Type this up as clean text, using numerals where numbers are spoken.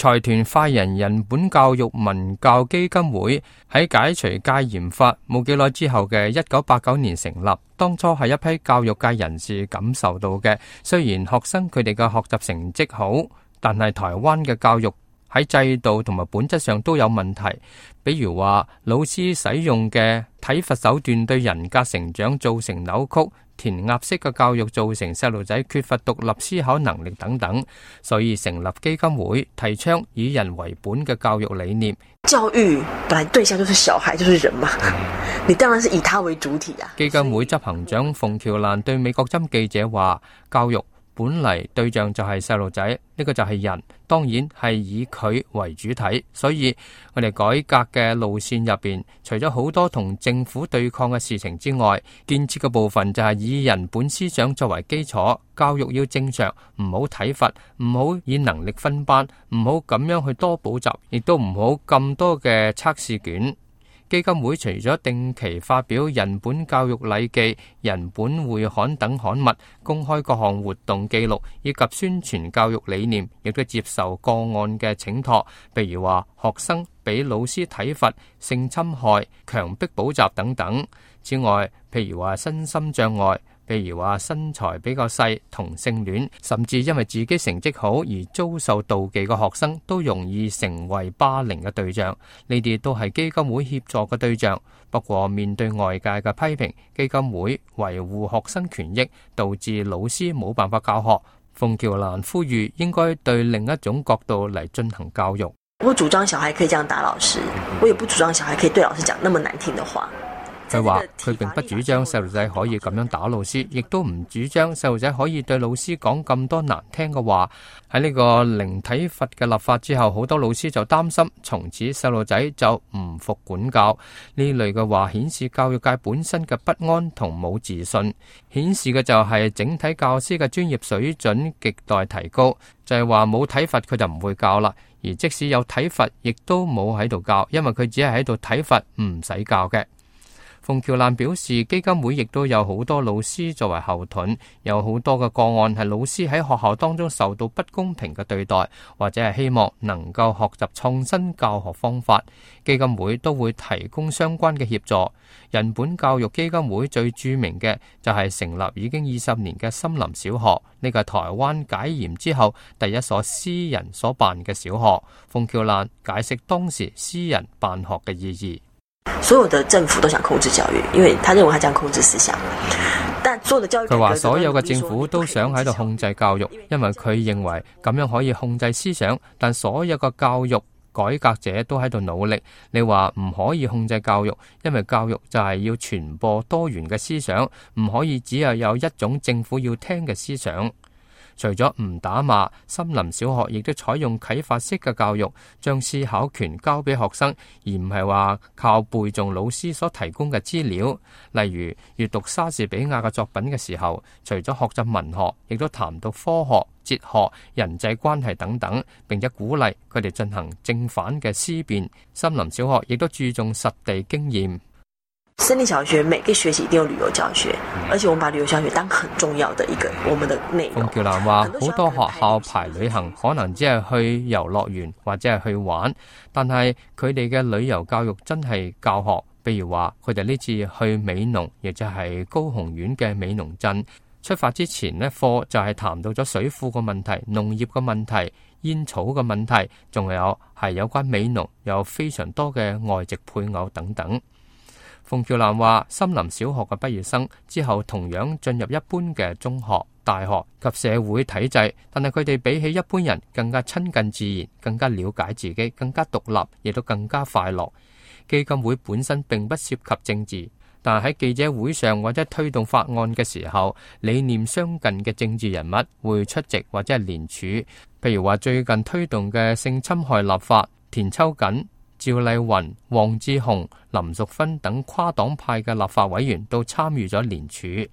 財團快人本教育文教基金會喺解除戒嚴法冇幾耐之後嘅1989年成立，當初係一批教育界人士感受到嘅。雖然學生佢哋嘅學習成績好，但係台灣嘅教育喺制度同埋本質上都有問題，比如話老師使用嘅體罰手段對人格成長造成扭曲，填鴨式嘅教育造成細路仔缺乏獨立思考能力等等，所以成立基金會，提倡以人為本嘅教育理念。教育本來對象就是小孩，就是人嘛，你當然是以他為主體啊。基金會執行長馮喬蘭對美國針記者話：教育本嚟對象就係細路仔，呢個就係人，當然係以佢為主體。所以我哋改革嘅路線入邊，除咗好多同政府對抗嘅事情之外，建設嘅部分就係以人本思想作為基礎。教育要正常，唔好體罰，唔好以能力分班，唔好咁樣去多補習，亦都唔好咁多嘅測試卷。基金會除咗定期發表人本教育禮記、人本會刊等刊物，公開各項活動記錄以及宣傳教育理念，亦都接受個案嘅請託，譬如話學生俾老師體罰、性侵害、強迫補習等等。此外，譬如話身心障礙，譬如話身材比較細、同性戀，甚至因為自己成績好而遭受妒忌嘅學生，都容易成為霸凌嘅對象。呢啲都係基金會協助嘅對象。不過面對外界嘅批評，基金會維護學生權益，導致老師冇辦法教學。馮喬蘭呼籲應該對另一種角度嚟進行教育。我主張小孩可以這樣打老師，我也不主張小孩可以對老師講那麼難聽的話。佢話佢並不主張細路仔可以咁樣打老師，亦都唔主張細路仔可以對老師講咁多難聽嘅話。喺呢個零體罰嘅立法之後，好多老師就擔心從此細路仔就唔服管教。呢類嘅話顯示教育界本身嘅不安同冇自信，顯示嘅就係整體教師嘅專業水準極待提高。就係話冇體罰佢就唔會教啦，而即使有體罰亦都冇喺度教，因為佢只係喺度體罰，唔使教嘅。馮喬蘭表示，基金會亦都有好多老師作為後盾，有好多嘅個案係老師喺學校當中受到不公平嘅對待，或者係希望能夠學習創新教學方法，基金會都會提供相關嘅協助。人本教育基金會最著名嘅就係成立已經20年嘅森林小學，呢個係台灣解嚴之後第一所私人所辦嘅小學。馮喬蘭解釋當時私人辦學嘅意義。所有的政府都想控制教育，因為他認為他這樣控制思想。但所有的教育，佢話所有嘅政府都想喺度控制教育，因為佢認為咁樣可以控制思想。但所有嘅教育改革者都喺度努力。你話唔可以控制教育，因為教育就係要傳播多元嘅思想，唔可以只有一種政府要聽嘅思想。除咗唔打罵，森林小學亦都採用啟發式嘅教育，將思考權交俾學生，而唔係話靠背誦老師所提供嘅資料。例如閱讀莎士比亞嘅作品嘅時候，除咗學習文學，亦都談到科學、哲學、人際關係等等，並且鼓勵佢哋進行正反嘅思辨。森林小學亦都注重實地經驗。森林小學每個學期一定有旅遊教學，而且我們把旅遊教學當很重要的一個我們的內容。馮喬蘭話：好多學校排旅行可能只係去遊樂園或者係去玩，但係佢哋嘅旅遊教育真係教學。譬如話佢哋呢次去美濃，亦就係高雄縣嘅美濃鎮。出發之前呢，課就係談到咗水庫嘅問題、農業嘅問題、煙草嘅問題，仲有係有關美濃有非常多嘅外籍配偶等等。馮喬蘭話：森林小學嘅畢業生之後同樣進入一般嘅中學、大學及社會體制，但係佢哋比起一般人更加親近自然，更加了解自己，更加獨立，亦都更加快樂。基金會本身並不涉及政治，但係喺記者會上或者推動法案嘅時候，理念相近嘅政治人物會出席或者係聯署。譬如話最近推動嘅性侵害立法，田秋瑾、趙麗雲、黃志雄、林淑芬等跨黨派嘅立法委員都參與咗聯署。